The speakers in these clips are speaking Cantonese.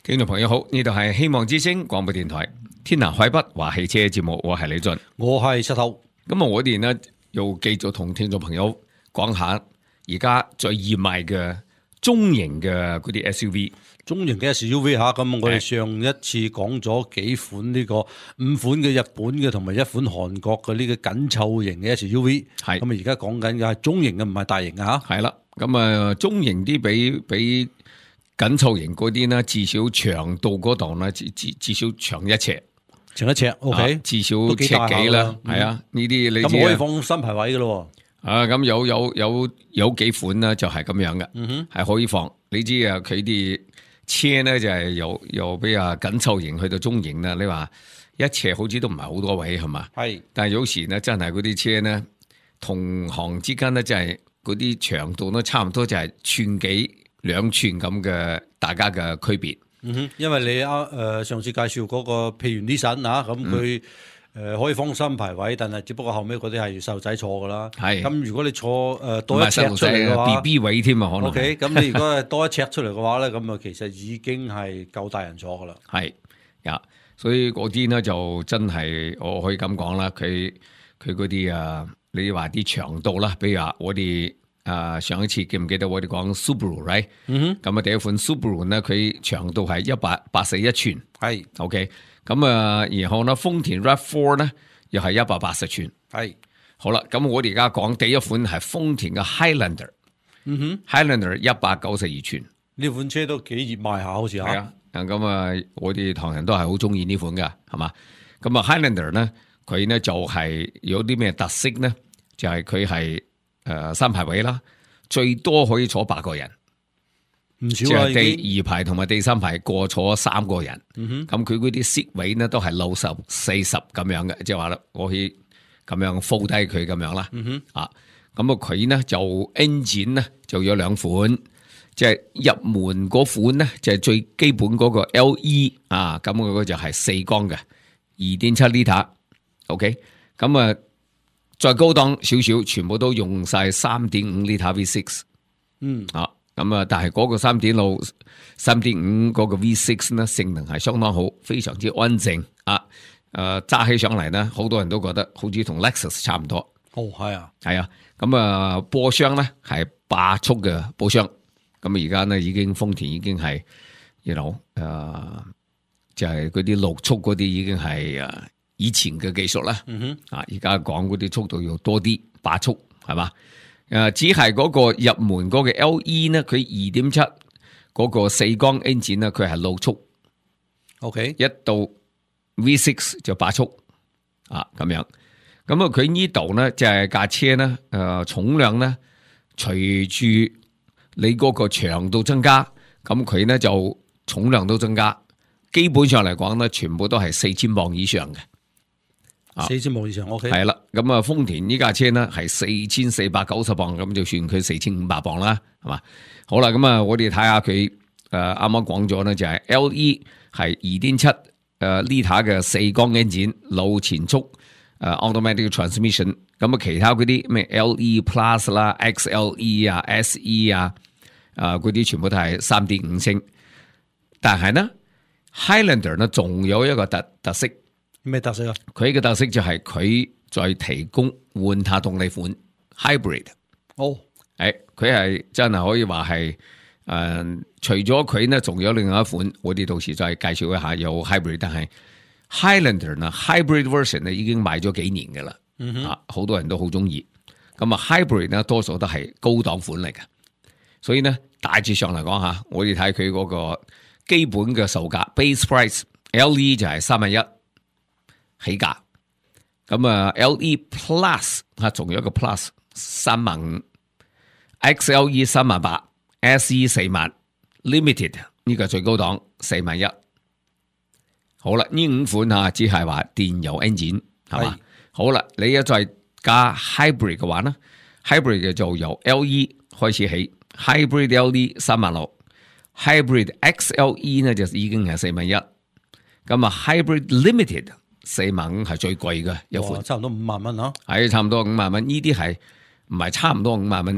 聽眾朋友好，呢度係希望之聲廣播電台天南海北話汽車節目，我係李俊，我係石頭。咁我哋呢又繼續同聽眾朋友講下而家最熱賣嘅中型嘅嗰啲 SUV。中型嘅 SUV 嚇，咁我哋上一次講咗幾款呢個5款嘅日本嘅同埋1款韓國嘅呢個緊湊型嘅 SUV， 係咁啊！而家講緊嘅係中型嘅，唔係大型嘅嚇。係啦，咁啊中型啲比緊湊型嗰啲呢，至少長度嗰度呢，至少長1尺，長1尺 ，OK，至少1尺幾啦，係啊，呢啲你咁可以放新排位嘅咯。啊，咁有幾款呢，就係咁樣嘅，係可以放。你知啊，佢啲車咧就係由比較緊湊型去到中型啦，你話1尺好似都唔係好多位係嘛？係，但係有時咧真係嗰啲車咧同行之間咧就係嗰啲長度都差唔多，就係寸幾2寸咁嘅大家嘅區別。因為你上次介紹嗰個譬如 Nissan 啊，咁佢可以放新排位，但係只不過後尾嗰啲係細路仔坐噶啦。係，咁如果你坐多1尺出嚟嘅話 ，BB 位添啊，可能。OK， 咁你如果係多1尺出嚟嘅話咧，咁啊其實已經係夠大人坐噶啦。係呀，所以嗰啲呢就真係我可以咁講啦，佢嗰啲你話啲長度啦，比如話我哋上一次記唔記得我哋講 Subaru，right？ 咁啊第一款 Subaru 呢，佢長度係181寸，係 OK。咁然後呢，豐田 RAV4 呢又係180寸，係好啦。咁我哋而家講第一款係豐田嘅 Highlander，Highlander 192寸，呢款車都幾熱賣下，好似係啊。咁我哋唐人都係好中意呢款噶，係嘛？咁Highlander 呢，佢呢就係有啲咩特色呢？就係佢係3排位啦，最多可以坐8個人。唔少啦，第2排同埋第3排各坐3個人。咁佢嗰啲 seat 位呢都係60、40咁樣嘅，即係話啦，我可以咁樣 fold 低佢咁樣啦。咁佢呢就 engine 呢就有2款，即係入門嗰款呢就係最基本嗰個 LE 咁嗰個就係4缸嘅 2.7 liter。OK， 咁再高檔少少，全部都用晒3.5 liter V6。咁但係嗰個3.5嗰個 V6 呢，性能係相當好，非常之安靜揸起上嚟呢，好多人都覺得好似同 Lexus 差唔多。係啊。咁波箱呢係8速嘅波箱。咁而家呢已經豐田已經係就係嗰啲6速嗰啲已經係以前嘅技術啦。而家講嗰啲速度要多啲，8速係嘛？只係嗰個入門嗰個 LE 呢，佢 2.7 嗰個4缸 engine 呢，佢係6速。OK， 一到 V6 就8速咁樣。咁佢呢度呢就係架車呢重量呢隨住你嗰個長度增加，咁佢呢就重量都增加。基本上嚟講呢，全部都係4000磅以上嘅。4000磅以上 OK， 係啦，咁豐田呢架車呢係4490磅，咁就算佢4500磅啦，係嘛？好啦，咁我哋睇下佢啱啱講咗呢，就係 LE 係 2.7 liter 嘅4缸 engine 腦前速automatic transmission， 咁其他嗰啲咩 LE Plus 啦、XLE SE 嗰啲全部都係 3.5 升，但係呢 Highlander 呢仲有一個特色。咩特色啊？佢嘅特色就係佢再提供換塔動力款 hybrid。佢係真係可以話係除咗佢呢，仲有另外一款，我哋到時再介紹一下有 hybrid。但係 Highlander 呢 hybrid version 呢已經賣咗幾年噶啦，好多人都好中意。咁hybrid 呢多數都係高檔款嚟嘅，所以呢大致上嚟講下，我哋睇佢嗰個基本嘅售價 base price LE 就係31000起價，咁LE Plus 仲有一個 Plus 35000， XLE 38000， SE 40000， Limited 呢個最高檔41000。好啦，呢5款只係話電油 engine 係嘛？好啦，你一再加 hybrid 嘅話呢， hybrid 嘅就由 LE 開始起， hybrid LE 36000， hybrid XLE 呢就已經係41000，咁hybrid Limited 45000係最貴嘅有款，差唔多5萬蚊啊，係差唔多5萬蚊。呢啲係唔係差唔多5萬蚊？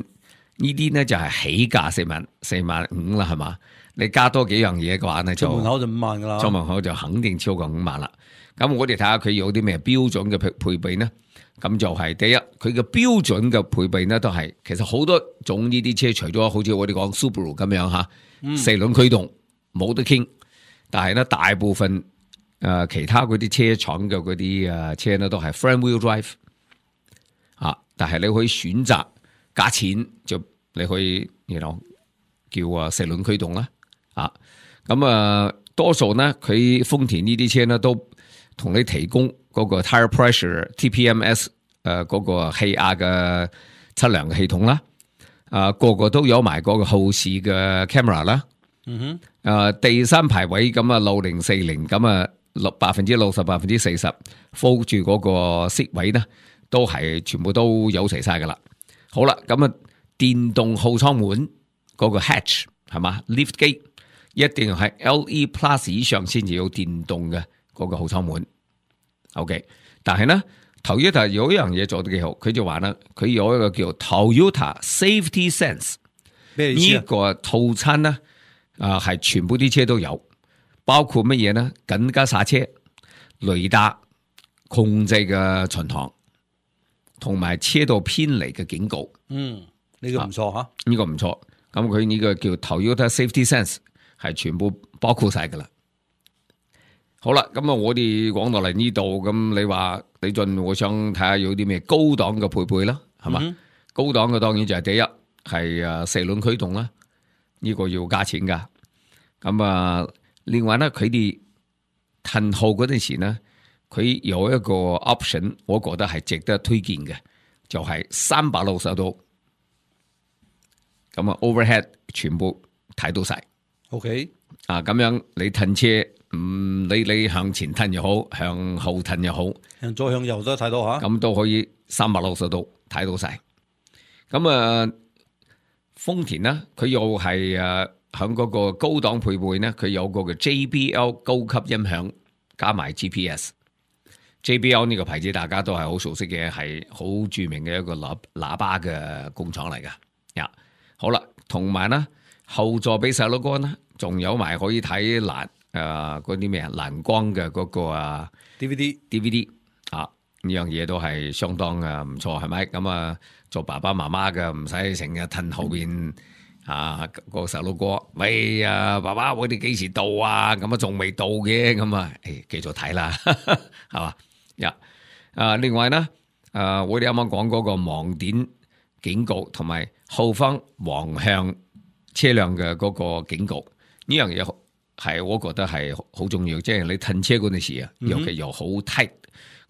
呢啲呢就係起價45000啦，係嘛？你加多幾樣嘢嘅話呢，出門口就5萬噶啦，出門口就肯定超過5萬啦。咁我哋睇下佢有啲咩標準嘅配備呢？咁就係第一，佢嘅標準嘅配備呢，都係其實好多種呢啲車，除咗好似我哋講 Subaru 咁樣嚇，4輪驅動冇得傾，但係呢大部分其他嗰啲車廠嘅嗰啲車呢，都係 front wheel drive 但係你可以選擇加錢，就你可以叫4輪驅動啦，咁多數呢，佢豐田呢啲車呢，都同你提供嗰個 tire pressure TPMS 嗰個氣壓嘅測量嘅系統啦，個個都有埋嗰個後視嘅 camera 啦，第三排位咁6040咁60%、40% fold 住嗰個色位呢，都係全部都有齊晒噶啦。好啦，咁電動後艙門嗰個 hatch 係嘛 lift gate 一定係 LE Plus 以上先至有電動嘅嗰個後艙門。OK， 但係呢 Toyota 有一樣嘢做得幾好，佢就話呢，佢有一個叫 Toyota Safety Sense， 咩意思啊？呢個套餐呢係全部啲車都有，包括乜嘢呢？緊急剎車、雷達控制嘅巡航，同埋車道偏離嘅警告。呢個唔錯吓，呢個唔錯。咁佢呢個叫 Toyota Safety Sense 係全部包括晒噶啦。好啦，咁我哋講到嚟呢度，咁你話李俊，我想睇下有啲咩高檔嘅配備啦，係嘛？高檔嘅當然就係第一係4輪驅動啦，呢個要加錢噶。咁另外呢，佢哋褪後嗰陣時呢，佢有一個 option， 我覺得係值得推薦嘅，就係360度，咁overhead 全部睇到晒。OK， 咁樣你褪車，你向前褪又好，向後褪又好，向左向右都睇到吓，咁都可以360度睇到晒。咁豐田呢，佢又係響嗰個高檔配備呢，佢有個嘅 JBL 高級音響加埋 GPS。JBL 呢個牌子大家都係好熟悉嘅，係好著名嘅一個喇叭嘅工廠嚟噶。好啦，同埋呢後座俾細佬哥呢，仲有埋可以睇嗰啲咩藍光嘅嗰個DVD 呢樣嘢都係相當唔錯，係咪？咁做爸爸媽媽嘅唔使成日褪後邊個細佬哥，喂爸爸，我哋幾時到啊？咁仲未到嘅，咁繼續睇啦，係嘛？另外呢，我哋啱啱講嗰個盲點警告同埋後方橫向車輛嘅嗰個警告，呢樣嘢係我覺得係好重要，即係你褪車嗰陣時尤其又好 tight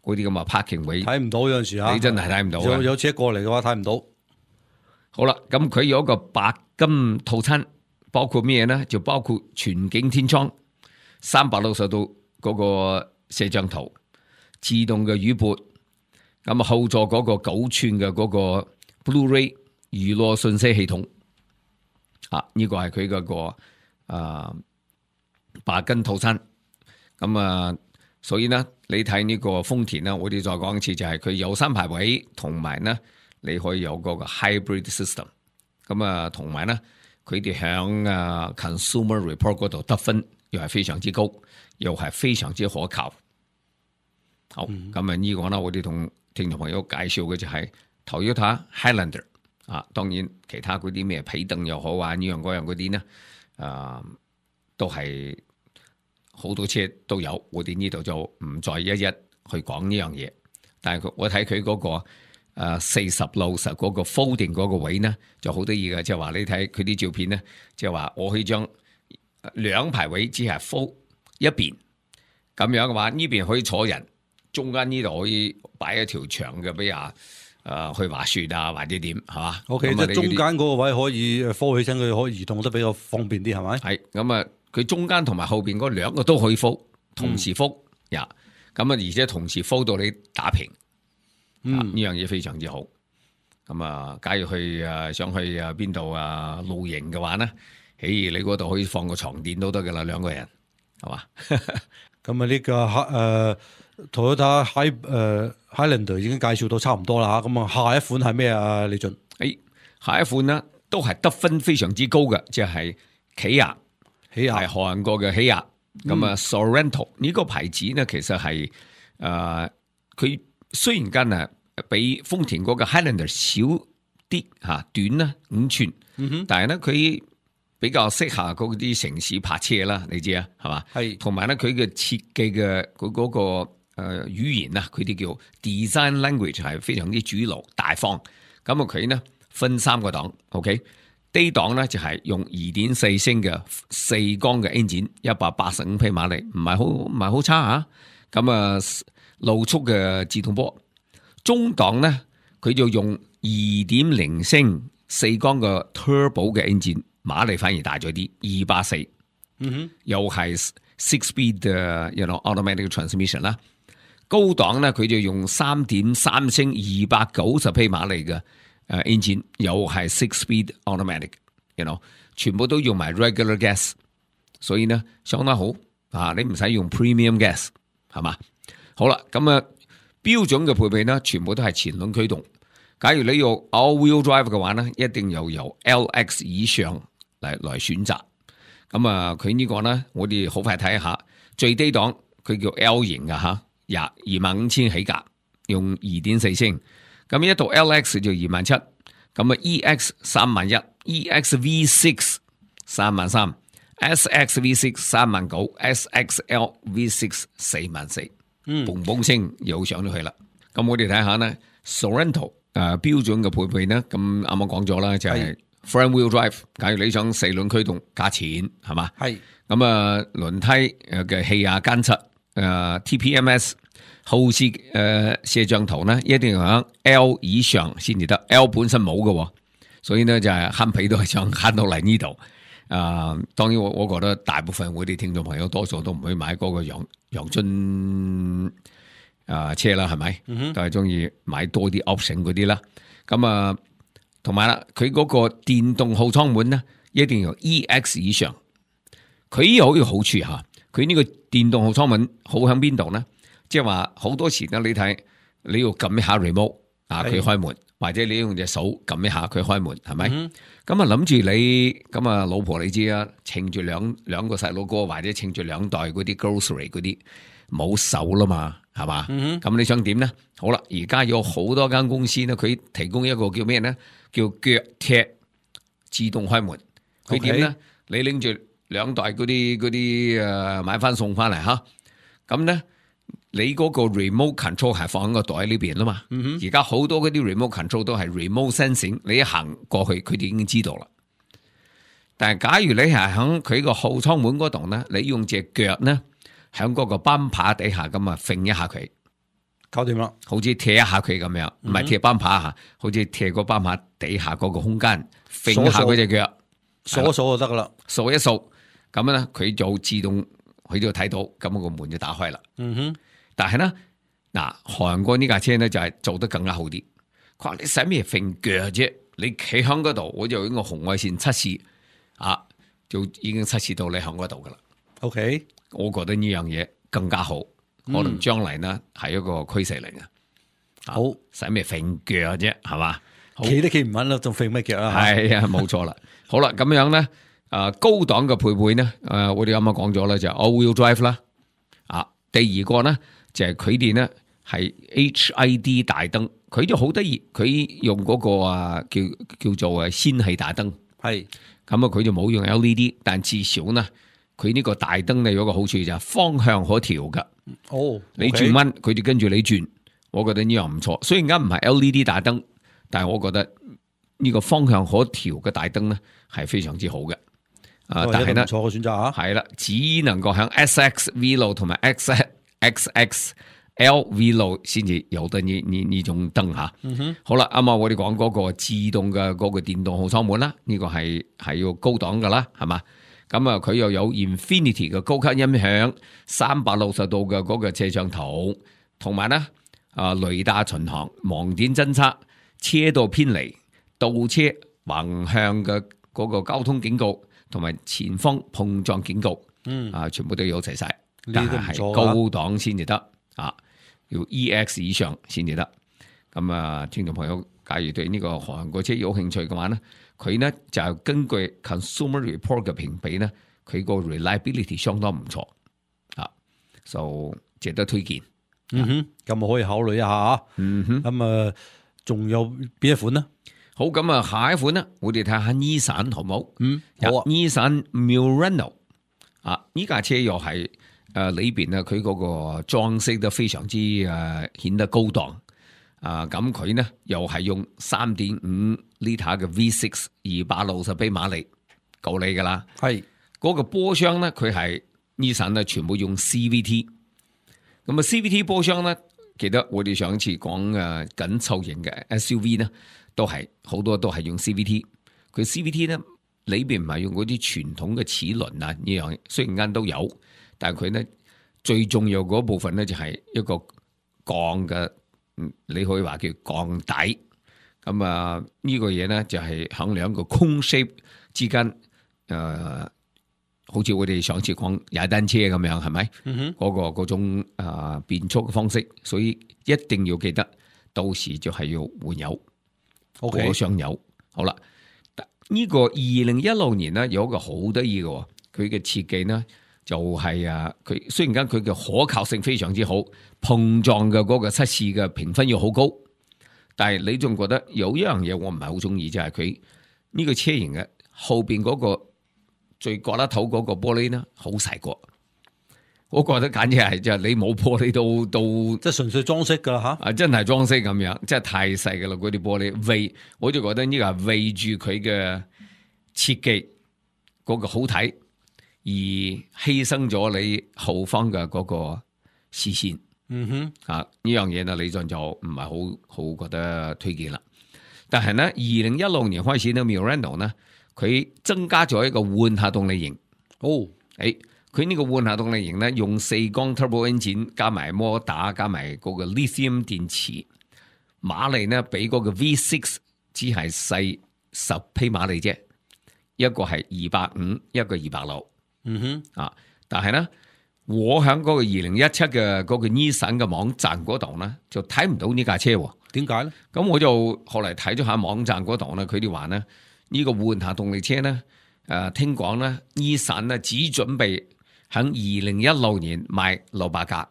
嗰啲咁嘅 parking 位，睇唔到有陣時你真係睇唔到。有車過嚟嘅話睇唔到。好啦，咁佢有一個白金套餐，包括咩呢？就包括全景天窗、360度嗰個攝像頭、自動嘅雨撥，咁後座嗰個9寸嘅嗰個 Blu-ray 娛樂信息系統，呢個係佢嗰個白金套餐。咁所以呢，你睇呢個豐田呢，我哋再講一次，就係佢有3排位，同埋呢你可以有嗰個 hybrid system。咁同埋呢，佢哋響consumer report 嗰度得分又係非常之高，又係非常之可靠。好，咁呢個呢，我哋同聽眾朋友介紹嘅就係 Toyota Highlander。當然其他嗰啲咩皮凳又好呢樣嗰樣嗰啲呢，都係好多車都有，我哋呢度就唔再一一去講呢樣嘢。但係我睇佢嗰個40/60嗰個 folding 嗰個位呢，就好得意嘅，即係話你睇佢啲照片呢，即係話我可以將2排位只係 fold 一邊，咁樣嘅話呢邊可以坐人，中間呢度可以擺一條長嘅，比如去滑雪或者點係嘛？OK， 即係中間嗰個位可以 fold 起身，佢可以移動得比較方便啲，係咪？係咁佢中間同埋後邊嗰2個都可以 fold，同時 fold 咁而且同時 fold 到你打平，呢樣嘢非常之好。咁假如想去邊度露營嘅話呢，你嗰度可以放個床墊都得噶啦，2個人係嘛？咁呢個Toyota Highlander 已經介紹到差唔多啦，咁下一款係咩啊？李俊？下一款呢都係得分非常之高嘅，即係起亞起亞係韓國嘅起亞。咁啊，Sorento 呢個牌子呢，其實係佢雖然間啊比豐田嗰個 Highlander 少啲嚇，短啦5寸，但係咧佢比較適合嗰啲城市泊車啦，你知啊，係嘛？係，同埋咧佢嘅設計嘅嗰個語言啊，佢哋叫 design language 係非常之主流大方。咁啊佢呢分3個檔 ，OK， 低檔咧就係用2.4升嘅4缸嘅 engine， 185匹馬力，唔係好差嚇。咁啊路速嘅自動波。中檔咧佢就用2.0升4缸嘅 turbo 嘅 engine， 馬力反而大咗啲，240，又係 6-speed automatic transmission 啦。高檔咧佢就用3.3升290匹馬力嘅engine， 又係 6-speed automatic， 全部都用埋 regular gas， 所以呢相當好啊！你唔使用 premium gas 係嘛？好啦，咁啊標準嘅配備呢，全部都係前輪驅動。假如你用 all-wheel drive 嘅話呢，一定要由 LX 以上嚟選擇。咁啊，佢呢個呢，我哋好快睇一下最低檔，佢叫 L 型嘅嚇，25,000起價，用2.4升。咁一到 LX 就27,000，咁啊 EX 31,000，EX V6 33,000，SX V6 39,000，SXL V6 44,000。嘣嘣聲又上咗去啦。咁我哋睇下呢 Sorento 標準嘅配備呢，咁啱啱講咗啦，就係 front wheel drive。假如你想4輪驅動加錢係嘛？係。咁啊輪胎嘅氣壓監測TPMS 後視攝像頭呢，一定要喺 L 以上先至得。L 本身冇嘅，所以呢就係慳皮都係想慳到嚟呢度。當然我覺得大部分我哋聽眾朋友多數都唔會買嗰個陽春車啦，係咪？都係中意買多啲 option 嗰啲啦。咁啊，同埋啦，佢嗰個電動後艙門呢，一定要 EX 以上。佢有一個好處嚇，佢呢個電動後艙門好喺邊度呢？即係話好多時呢，你睇你要撳一下 remote 佢開門。或者你用隻手撳一下佢開門，係咪？咁啊諗住你咁啊老婆你知啊，稱住兩個細佬哥或者稱住2袋嗰啲 grocery 嗰啲冇手啦嘛，係嘛？咁你想點咧？好啦，而家有好多間公司咧，佢提供一個叫咩咧？叫腳踢自動開門。佢點咧？你拎住2袋嗰啲買翻送翻嚟吓，咁咧。你嗰個 remote control 係放喺個袋呢邊啦嘛，而家好多嗰啲 remote control 都係 remote sensing， 你一行過去佢哋已經知道啦。但係假如你係喺佢個後艙門嗰度咧，你用隻腳咧喺嗰個泵把底下咁啊揈一下佢，搞掂啦，好似踢一下佢咁樣，唔係踢泵把吓，好似踢個泵把底下嗰個空間揈一下嗰隻腳，掃一掃就得噶啦，掃一掃咁咧佢就自動佢就睇到，咁個門就打開啦。但係咧，嗱，韓國呢架車咧就係做得更加好啲。佢話你使咩揈腳啫？你企喺嗰度，我就用個紅外線測試，就已經測試到你喺嗰度噶啦。OK， 我覺得呢樣嘢更加好，可能將來呢係一個趨勢嚟嘅。好，使咩揈腳啫？係嘛？企都企唔穩啦，仲揈咩腳啊？係啊，冇錯啦。好啦，咁樣咧，高檔嘅配備呢，我哋啱啱講咗啦，就係 all-wheel drive 啦。第二個咧。就係佢哋咧係 HID 大燈，佢就好得意，佢用嗰個叫做氙氣大燈，係咁啊，佢就冇用 LED， 但至少呢，佢呢個大燈咧有個好處就係方向可調噶。哦，你轉彎佢就跟住你轉，我覺得呢樣唔錯。雖然而家唔係 LED 大燈，但係我覺得呢個方向可調嘅大燈咧係非常之好嘅。但係呢，唔錯嘅選擇啊，係啦，只能夠響 SX Velo 同埋 XXL V 先至有得呢種燈吓。好啦，啱啱我哋講嗰個自動嘅嗰個電動後艙門啦，呢個係要高檔噶啦，係嘛？咁啊，佢又有 Infinity 嘅高級音響，360度嘅嗰個攝像頭，同埋咧雷達巡航、盲點偵測、車道偏離、倒車橫向嘅嗰個交通警告，同埋前方碰撞警告，全部都有齊晒。但係高檔先至得啊，要 EX 以上先至得。咁啊，聽眾朋友，假如對呢個韓國車有興趣嘅話咧，佢咧就根據 Consumer Report 嘅評比咧，佢個 reliability 相當唔錯啊，就值得推薦。咁可以考慮一下啊。咁啊，仲有邊一款呢？好，咁啊，下一款呢，我哋睇下Nissan好唔好？好啊。Nissan Murano 啊，呢架車又係裏邊呢，佢嗰個裝飾得非常之顯得高檔啊。咁佢呢又係用 3.5 litre 嘅 V6 260匹馬力夠你噶啦。係嗰個波箱呢，佢係 Nissan 呢全部用 CVT。咁啊 CVT 波箱呢，記得我哋上次講緊湊型嘅 SUV 呢，都係好多都係用 CVT。佢 CVT 呢裏邊唔係用嗰啲傳統嘅齒輪啊，呢樣雖然間都有，但係佢呢最重要嗰部分呢，就係一個鋼嘅，你可以話叫鋼底。咁啊呢個嘢呢，就係響兩個 cone shape 之間好似我哋上次講踩單車咁樣，係咪？嗰種變速嘅方式，所以一定要記得，到時就係要換油，過箱油。好啦，呢個2016年呢，有一個好得意嘅，佢嘅設計呢就係佢雖然間佢嘅可靠性非常之好，碰撞嘅嗰個測試嘅評分要好高，但係你仲覺得有一樣嘢我唔係好中意，就係佢呢個車型嘅後邊嗰個最角落頭嗰個玻璃呢，好細個，我覺得簡直係就係你冇玻璃都即係純粹裝飾噶啦吓，真係裝飾咁樣，真係太細噶啦嗰啲玻璃，我就覺得呢個係為住佢嘅設計嗰個好睇，而犧牲咗你後方嘅嗰個視線。呢樣嘢呢，李俊就唔係好覺得推薦啦。但係呢，2016年開始呢 Murano 呢，佢增加咗一個換下動力型。佢呢個換下動力型呢，用4缸 turbo engine 加埋摩打加埋嗰個 lithium 電池，馬力呢比嗰個 V6 只係細10匹馬力啫，一個係250，一個260。但係呢，我喺嗰個2017嘅嗰個 Nissan 嘅網站嗰度呢，就睇唔到呢架車。點解呢？咁我就後嚟睇咗下網站嗰度呢，佢哋話呢，呢個換下動力車呢，聽講呢 Nissan 呢只準備喺2016年賣600架。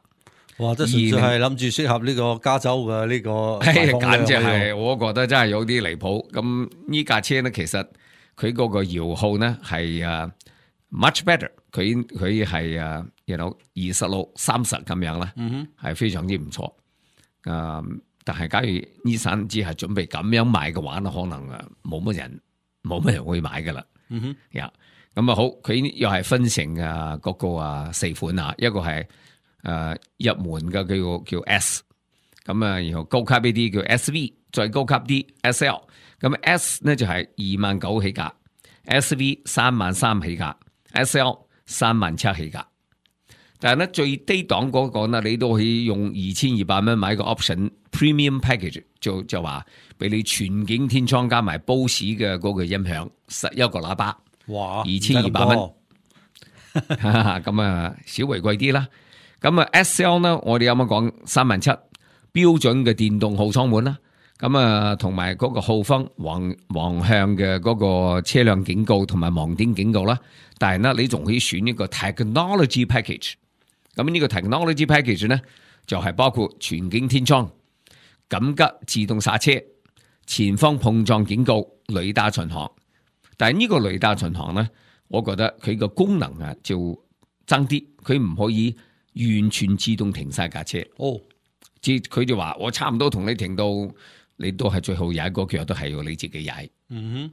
哇！即係純粹係諗住適合呢個加州嘅呢個，簡直係我覺得真係有啲離譜。咁呢架車呢，其實佢嗰個搖號呢係much better，佢係26、30咁樣啦，係非常之唔錯。但係假如Nissan只係準備咁樣賣嘅話呢，可能冇乜人會買噶啦。咁好，佢又係分成嗰個4款啊，一個係入門嘅叫 S， 咁然後高級呢啲叫 SV， 再高級啲 SL。咁 S 呢就係29,000起價，SV 33,000起價，SL 37,000起價。但係咧最低檔嗰個呢，你都可以用2200蚊買個 option premium package， 就話俾你全景天窗加埋 Bose 嘅嗰個音響，11個喇叭，哇，2200蚊，咁稍微貴啲啦。咁SL 呢，我哋啱啱講37,000標準嘅電動後艙門啦。咁同埋嗰個後方橫向嘅嗰個車輛警告同埋盲點警告啦。但係呢，你仲可以選一個 technology package。咁呢個 technology package 呢，就係包括全景天窗、緊急自動剎車、前方碰撞警告、雷達巡航。但係呢個雷達巡航呢，我覺得佢個功能就爭啲，佢唔可以完全自動停晒架車。即佢就話我差唔多同你停到，你都係最後踩個腳都係要你自己踩。咁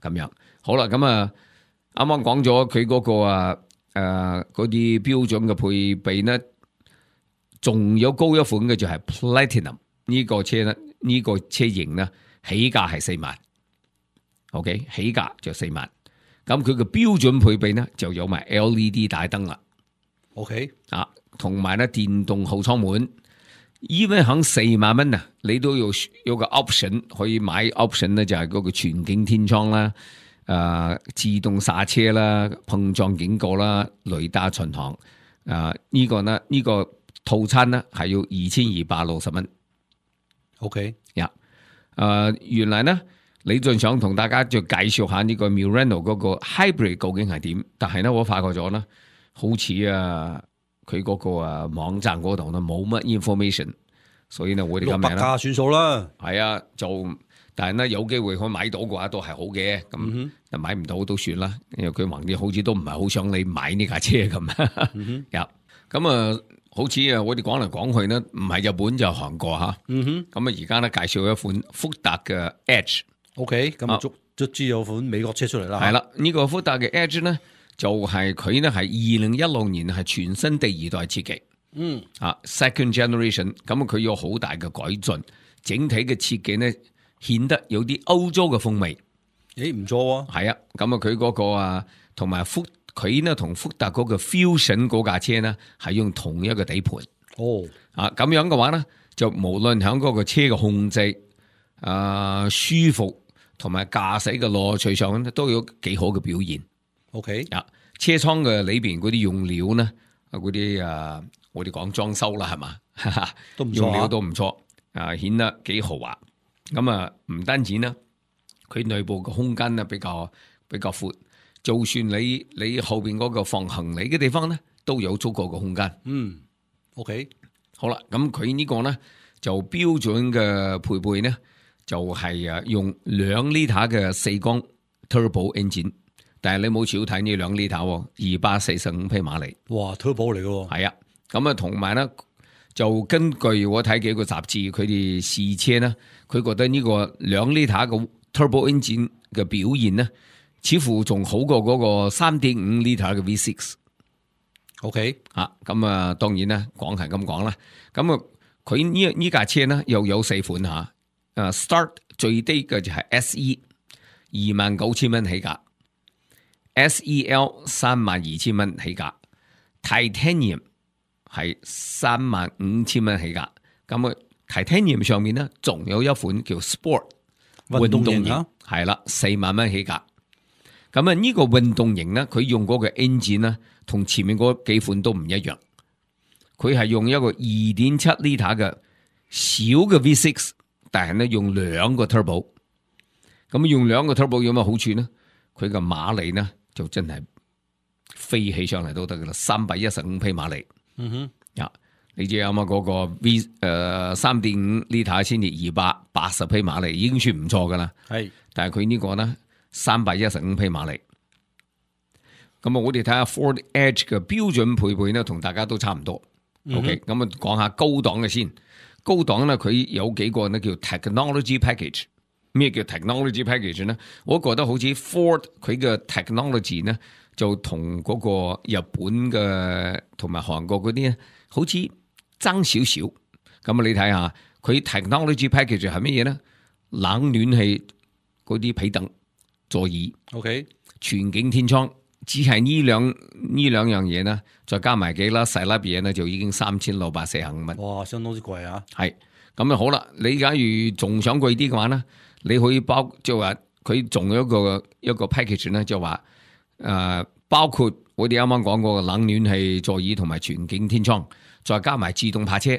樣好啦，咁啱啱講咗佢嗰個嗰啲標準嘅配備呢，仲有高一款嘅就係 Platinum 呢個車呢，呢個車型呢起價係4萬，OK 起價就4萬，咁佢嘅標準配備呢就有埋 LED 大燈啦，OK 同埋呢電動後艙門，even 響4萬蚊啊，你都有個 option 可以買 option 呢，就係嗰個全景天窗啦。自動剎車啦、碰撞警告啦、雷達巡航，呢個呢，呢個套餐呢係要2260蚊。OK，原來呢李俊想同大家就介紹下呢個 Murano 嗰個 hybrid 究竟係點，但係咧我發覺咗咧，好似佢嗰個網站嗰度咧冇乜 information， 所以呢我哋今日600價算數啦。係啊，但係咧有機會可以買到嘅話都係好嘅，咁但買唔到都算啦，因為佢橫掂好似都唔係好想你買呢架車咁。咁好似我哋講嚟講去呢，唔係日本就韓國嚇。咁而家咧介紹一款福特嘅 Edge。OK， 咁卒之有款美國車出嚟啦。係啦，呢個福特嘅 Edge 呢，就係佢呢係2016年係全新第2代設計。Second generation， 咁佢有好大嘅改進，整體嘅設計呢顯得有啲歐洲嘅風味。唔錯喎。係啊，咁佢嗰個同埋佢呢同福特嗰個 Fusion 嗰架車呢係用同一個底盤。咁樣嘅話呢，就無論喺嗰個車嘅控制、舒服同埋駕駛嘅樂趣上都有幾好嘅表現。車艙嘅裏邊嗰啲用料呢，嗰啲我哋講裝修啦，係嘛，都唔錯，用料都唔錯，顯得幾豪華。咁唔單止呢，佢內部嘅空間呢比較闊，就算你後邊嗰個放行李嘅地方呢，都有足夠嘅空間。OK， 好啦，咁佢呢個呢就標準嘅配備呢，就係用2 litre 嘅4缸 turbo engine， 但係你冇少睇呢2 litre 245匹馬力。哇 ，turbo 嚟嘅喎。係啊，咁同埋呢，就根據我睇幾個雜誌，佢哋試車呢，佢覺得呢個2 litre 嘅 turbo engine 嘅表現呢，似乎仲好過嗰個3.5 litre 嘅 V6。OK， 咁當然啦，講係咁講啦。咁佢呢架車呢又有4款嚇。Start 最低嘅就係 SE 29,000蚊起價，SEL 32,000蚊起價，Titanium 係35,000蚊起價。咁Titanium 上面呢仲有一款叫 Sport 運動型，係啦，4萬蚊起價。咁呢個運動型呢，佢用嗰個 engine 呢，同前面嗰幾款都唔一樣。佢係用一個 2.7 litre 嘅小嘅 V6， 但係呢用2個 turbo。咁用2個 turbo 有乜好處呢？佢嘅馬力呢就真係飛起上嚟都得噶啦，315匹馬力。你知啱啱嗰個 3.5 litre 先至280匹馬力，已經算唔錯噶啦。但係佢呢個呢315匹馬力。咁我哋睇下 Ford Edge 嘅標準配備呢，同大家都差唔多。OK， 咁講下高檔嘅先。高檔呢，佢有幾個呢叫 technology package。咩叫 technology package 呢？我覺得好似 Ford 佢嘅 technology 呢，就同嗰個日本嘅同埋韓國嗰啲呢，好似爭少少。咁你睇下佢 technology package 係乜嘢呢？冷暖氣嗰啲皮凳、座椅，OK， 全景天窗。只係呢兩樣嘢呢，再加埋幾粒細粒嘢呢，就已經3645蚊。哇，相當之貴啊！係咁啊，好啦，你假如仲想貴啲嘅話呢，你可以即係話佢仲有一個 package 呢，就話包括我哋啱啱講過嘅冷暖氣、座椅同埋全景天窗，再加埋自動泊車，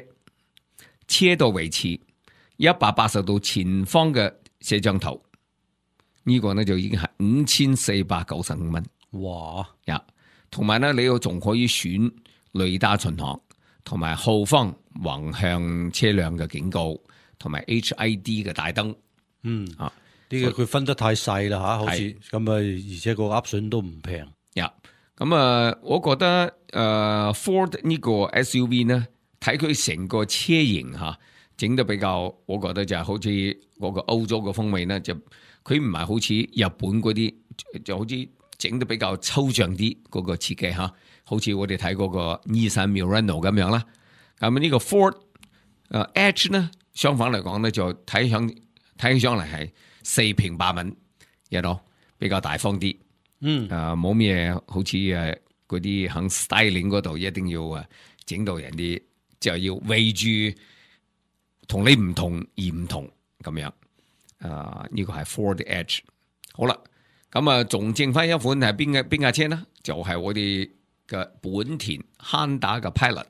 車道維持180度前方嘅攝像頭，呢個呢就已經係5495蚊。哇！同埋咧，你又仲可以選雷達巡航，同埋後方橫向車輛嘅警告，同埋 HID 嘅大燈。呢個佢分得太細啦吓，好似咁啊，而且個 option 都唔平。咁我覺得Ford 呢個 SUV 呢，睇佢成個車型吓，整得比較，我覺得就係好似嗰個歐洲嘅風味呢，就佢唔係好似日本嗰啲，就好似整得比較抽象啲嗰個設計吓，好似我哋睇嗰個 Nissan Murano 咁樣啦。咁呢個 Ford Edge 呢，相反嚟講呢，就睇起上嚟係4平8穩，比較大方啲。冇咩好似嗰啲喺 styling 嗰度一定要整到人哋就要為住同你唔同而唔同咁樣。呢個係 Ford Edge。好啦。咁仲剩翻一款係邊架車呢？就係我哋嘅本田 Honda 嘅 Pilot。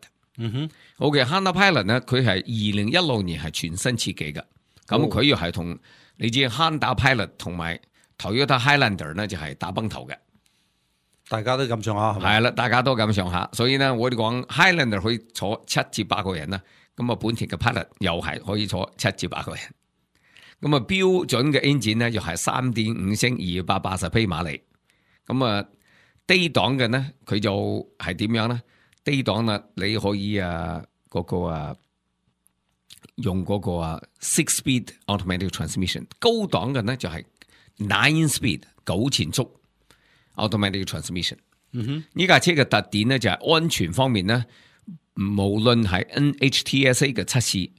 好嘅，Honda Pilot 呢，佢係2016年係全新設計嘅。咁佢又係同你知 Honda Pilot 同埋 Toyota Highlander 咧就係打崩頭嘅，大家都咁上下係咪？係啦，大家都咁上下，所以咧我哋講 Highlander 可以坐7至8個人啦，咁啊本田嘅 Pilot 又係可以坐7至8個人，咁啊標準嘅 engine 咧又係3.5升280匹馬力，咁啊低檔嘅咧佢就係點樣咧？低檔啦，你可以用嗰個 6-speed automatic transmission， 高檔嘅咧就係 9-speed 9前速 automatic transmission。呢架車嘅特點咧就係安全方面咧，無論係 NHTSA 嘅測試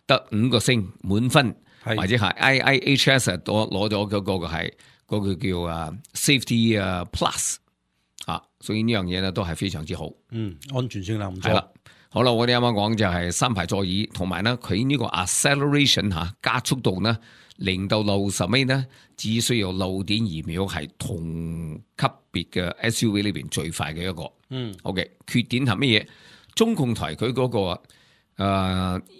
得5個星滿分，或者係 IIHS 攞咗嗰個係嗰個叫Safety Plus 所以呢樣嘢咧都係非常之好。安全性能唔錯。係啦，好啦，我哋啱啱講就係3排座椅，同埋咧佢呢個 acceleration 加速度呢0到60米呢只需要6.2秒，係同級別嘅 SUV 裏邊最快嘅一個。OK， 缺點係乜嘢？中控台佢嗰個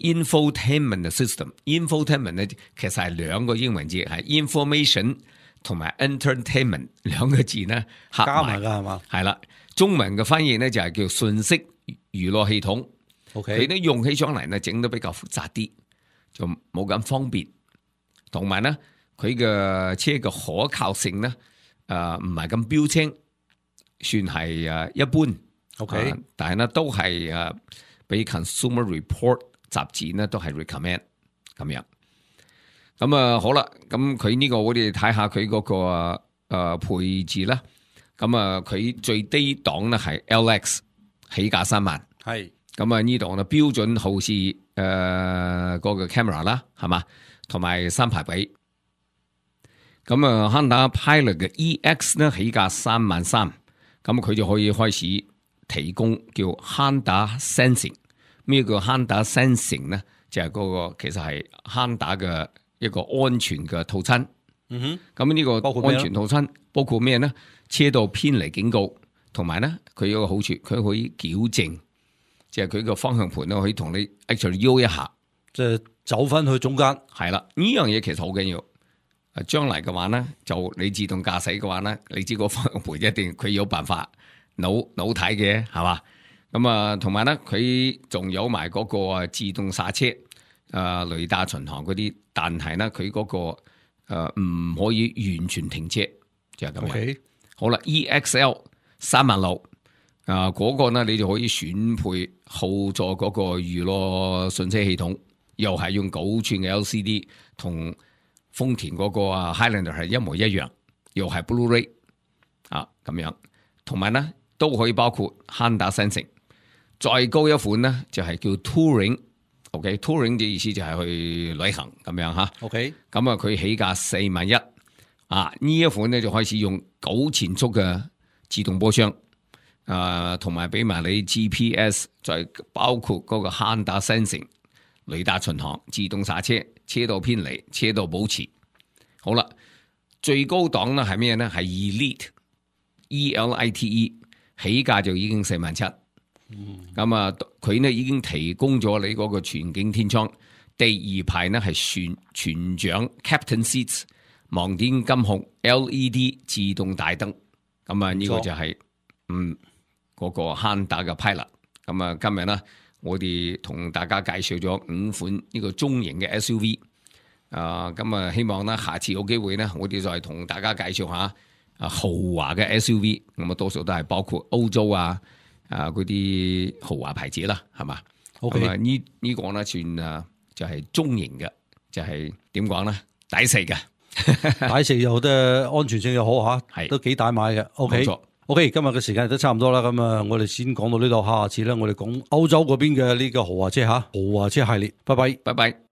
infotainment system，infotainment 咧其實係兩個英文字，係 information 同埋 entertainment 兩個字呢合加埋㗎係嘛？係啦，中文嘅翻譯咧就係叫信息娛樂系統。OK，佢都用起上嚟咧整得比較複雜啲，就冇咁方便。同埋咧，佢嘅車嘅可靠性咧，唔係咁標青，算係一般。OK，但係咧都係俾 Consumer Report 雜誌咧都係 recommend 咁樣。咁好啦，咁佢呢個我哋睇下佢嗰個配置啦。咁佢最低檔咧係 LX 起價3萬。係。咁呢度咧標準後視嗰個 camera 啦，係嘛？同埋3排位。咁Honda Pilot 嘅 EX 咧起價3萬3，咁佢就可以開始提供叫 Honda Sensing。咩叫 Honda Sensing 咧？就係嗰個其實係 Honda 嘅一個安全嘅套餐。咁呢個安全套餐包括咩咧？車道偏離警告，同埋咧佢有個好處，佢可以矯正。即係佢個方向盤咧，可以同你 actually 搖一下，即係走翻去中間。係啦，呢樣嘢其實好緊要。將來嘅話咧，就你自動駕駛嘅話咧，你知個方向盤一定佢有辦法扭睇嘅，係嘛？咁同埋咧，佢仲有埋嗰個自動剎車、雷達巡航嗰啲，但係咧佢嗰個唔可以完全停車，就係咁樣。Okay. 好啦 ，EXL 3萬6。嗰個呢，你就可以選配後座嗰個娛樂信息系統，又係用9寸嘅 LCD， 同豐田嗰個Highlander 係一模一樣，又係 Blu-ray 咁樣，同埋呢都可以包括 Honda Sensing。再高一款呢，就係叫 Touring，OK，Touring 嘅意思就係去旅行咁樣吓。OK， 咁佢起價4萬1，呢一款呢就開始用9前速嘅自動波箱。同埋俾埋你 GPS， 再包括嗰個 Honda Sensing、雷達巡航、自動剎車、車道偏離、車道保持。好啦，最高檔咧係咩咧？係 Elite，E-L-I-T-E， 起價就已經4萬7。咁佢呢已經提供咗你嗰個全景天窗，第2排呢係全掌 Captain Seats， 盲點金控 LED 自動大燈。咁呢個就係嗰個 Honda 嘅 Pilot。咁今日呢，我哋同大家介紹咗5款呢個中型嘅 SUV。咁希望呢下次有機會呢，我哋再同大家介紹下豪華嘅 SUV。咁多數都係包括歐洲嗰啲豪華牌子啦，係嘛？咁呢個呢算就係中型嘅，就係點講呢？抵食嘅，抵食又得，安全性又好吓，都幾大買嘅。OK，今日嘅時間都差唔多啦，咁我哋先講到呢度，下次咧我哋講歐洲嗰邊嘅呢個豪華車豪華車系列，拜拜，拜拜。